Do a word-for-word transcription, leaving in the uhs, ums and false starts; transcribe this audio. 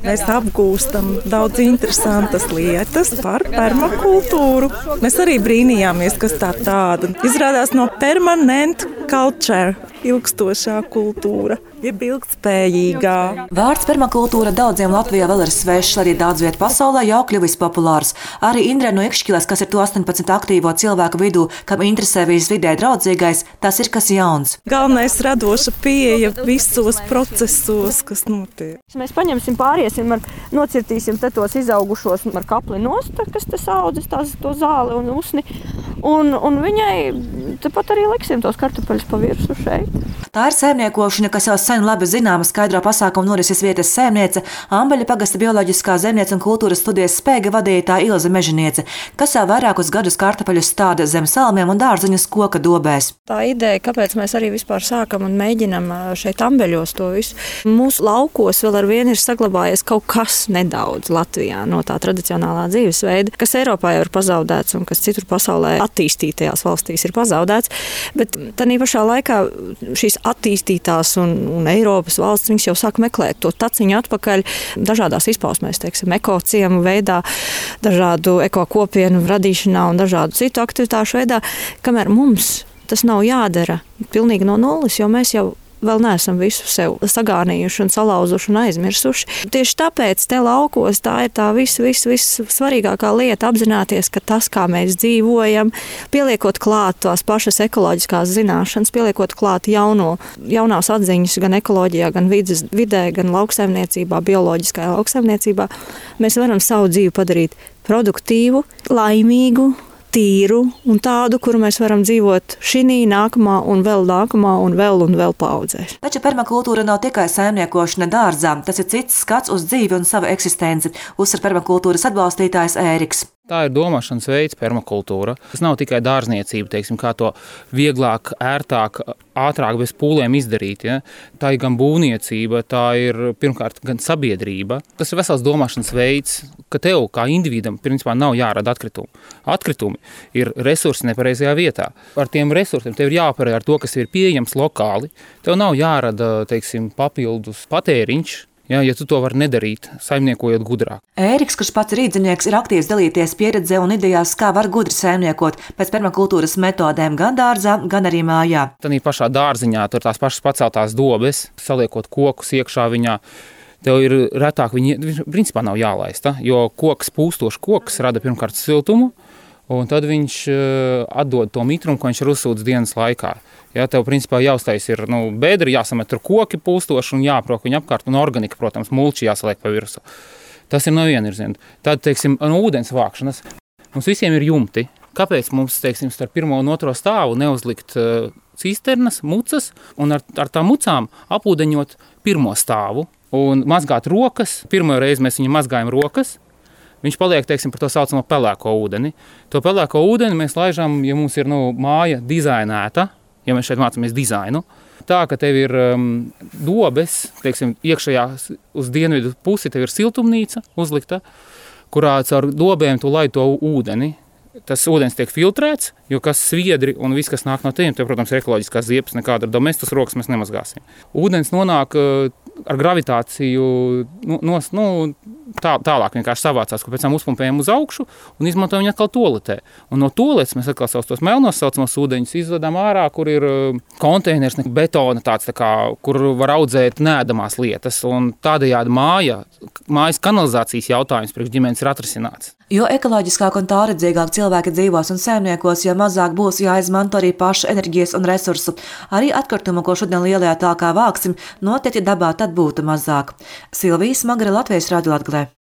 Mēs apgūstam daudz interesantas lietas par permakultūru. Mēs arī brīnījāmies, kas tā tāda. Izrādās no permanent culture, ilgstošā kultūra, jeb ilgtspējīgā. Vārds permakultūra daudziem Latvijā vēl ir svešs, arī daudz viet pasaulē jau kļuvis populārs. Arī Indre no Ikšķiles, kas ir to astoņpadsmit aktīvo cilvēku vidū, kam interesē viss vidē draudzīgais, tas ir kas jauns. Galvenais radoša pieeja visos procesos, kas notiek. Mēs paņemsim, pāriesim, ar, nocirtīsim te tos izaugušos ar kapli nost, kas te saudzes, tās, to zāli un usni, un, un viņai tepat arī liksim tos kartupeļus pa virsu šeit. Tā ir saimniekošana, kas jau sen labi zināma skaidro pasākumu norises vietas saimniece, Ambeļa pagasta bioloģiskā zemniece un kultūras studijas spēga vadītāja Ilze Mežiniece, kas jau vairākus gadus kartupeļus stāda zem salmiem un dārzeņus koka dobēs. Tā ideja, kāpēc mēs arī vispār sākam un mēģinam šeit Ambeļos to visu. Mūsu laukos vēl ar vienu ir saglabājies kaut kas nedaudz Latvijā no tā tradicionālā dzīvesveida, kas Eiropā jau ir pazaudēts un kas citur pasaulē attīstītajās valstīs ir pazaudēts, bet tādā pašā laikā šīs attīstītās un, un Eiropas valsts, viņas jau sāk meklēt to taciņu atpakaļ dažādās izpausmēs, teiksim, ekociemu veidā, dažādu ekokopienu radīšanā un dažādu citu aktivitāšu veidā, kamēr mums tas nav jādara pilnīgi no nulles, jo mēs jau vēl neesam visu sev sagānījuši un salauzuši un aizmirsuši. Tieši tāpēc te laukos tā ir tā viss, viss, viss svarīgākā lieta apzināties, ka tas, kā mēs dzīvojam, pieliekot klāt tās pašas ekoloģiskās zināšanas, pieliekot klāt jauno, jaunās atziņas gan ekoloģijā, gan vides, vidē, gan lauksaimniecībā, bioloģiskajā lauksaimniecībā, mēs varam savu dzīvi padarīt produktīvu, laimīgu, tīru un tādu, kuru mēs varam dzīvot šī, nākamā un vēl nākamā un vēl un vēl paudzēs. Taču permakultūra nav tikai saimniekošana dārzā, tas ir cits skats uz dzīvi un savu eksistenci, uzsver permakultūras atbalstītājs Ēriks. Tā ir domāšanas veids, permakultūra. Tas nav tikai dārzniecība, teiksim, kā to vieglāk, ērtāk, ātrāk bez pūlēm izdarīt. Ja? Tā ir gan būvniecība, tā ir pirmkārt gan sabiedrība. Tas ir vesels domāšanas veids, ka tev kā individam principā nav jārada atkritumi. Atkritumi ir resursi nepareizajā vietā. Ar tiem resursiem tev ir jāoperē ar to, kas ir pieejams lokāli. Tev nav jārada, teiksim, papildus patēriņš. Ja, ja tu to vari nedarīt, saimniekojot gudrāk. Ēriks, kurš pats ir rīdzinieks, ir aktīvs dalīties pieredzē un idejās, kā var gudri saimniekot pēc permakultūras metodēm gan dārzā, gan arī mājā. Tanī pašā dārziņā tur tās pašas paceltās dobes, saliekot kokus iekšā viņā, tev ir retāk viņi, principā nav jālaista, jo koks, pūstošs koks rada pirmkārt siltumu, un tad viņš atdod to mitrumu, ko viņš ir uzsūdz dienas laikā. Ja, tev principā jāuztais ir nu, bedri, jāsamet tur koki pūstoši un jāprok viņa apkārt, un organika, protams, mulči jāsaliek pa virsu. Tas ir no viena virziena. Tad, teiksim, no ūdens vākšanas. Mums visiem ir jumti. Kāpēc mums, teiksim, starp pirmo un otro stāvu neuzlikt uh, cisternas, mucas, un ar, ar tām mucām apūdeņot pirmo stāvu un mazgāt rokas. Pirmo reizi mēs viņam mazgājam rokas. Viņš paliek, teiksim, par to saucamo pelēko ūdeni. To pelēko ūdeni mēs laižam, ja mums ir nu, māja dizainēta, ja mēs šeit mācāmies dizainu, tā, ka tev ir um, dobes, teiksim, iekšējā uz dienvidu pusi tev ir siltumnīca uzlikta, kurā caur dobēm tu laid to ūdeni. Tas ūdens tiek filtrēts, jo kas sviedri un viss, kas nāk no tiem, tev, protams, ir ekoloģiskās ziepes, nekāda ar domestas rokas mēs nemazgāsim. Ūdens nonāk uh, ar gravitāciju nu, nos, nu, tā, tālāk vienkārši savācās, ka pēc tam uzpumpējam uz augšu un izmantojam viņu atkal toaletē. Un no toaletes mēs atkal savus tos melnos saucamos ūdeņus izvedam ārā, kur ir uh, konteiners, betona tāds, tā kā, kur var audzēt neēdamās lietas. Un tādējādi māja, mājas kanalizācijas jautājums priekš ģimenes ir atrisināts. Jo ekoloģiskāk un tālredzīgāk cilvēki dzīvos un saimniekos, jo mazāk būs jāizmanto arī pašu enerģijas un resursu. Arī atkritumu, ko šodien lielajā tālkā vāksim, noteikti dabā tad būtu mazāk. Silvija Smagre, Latvijas Radio Latgalē.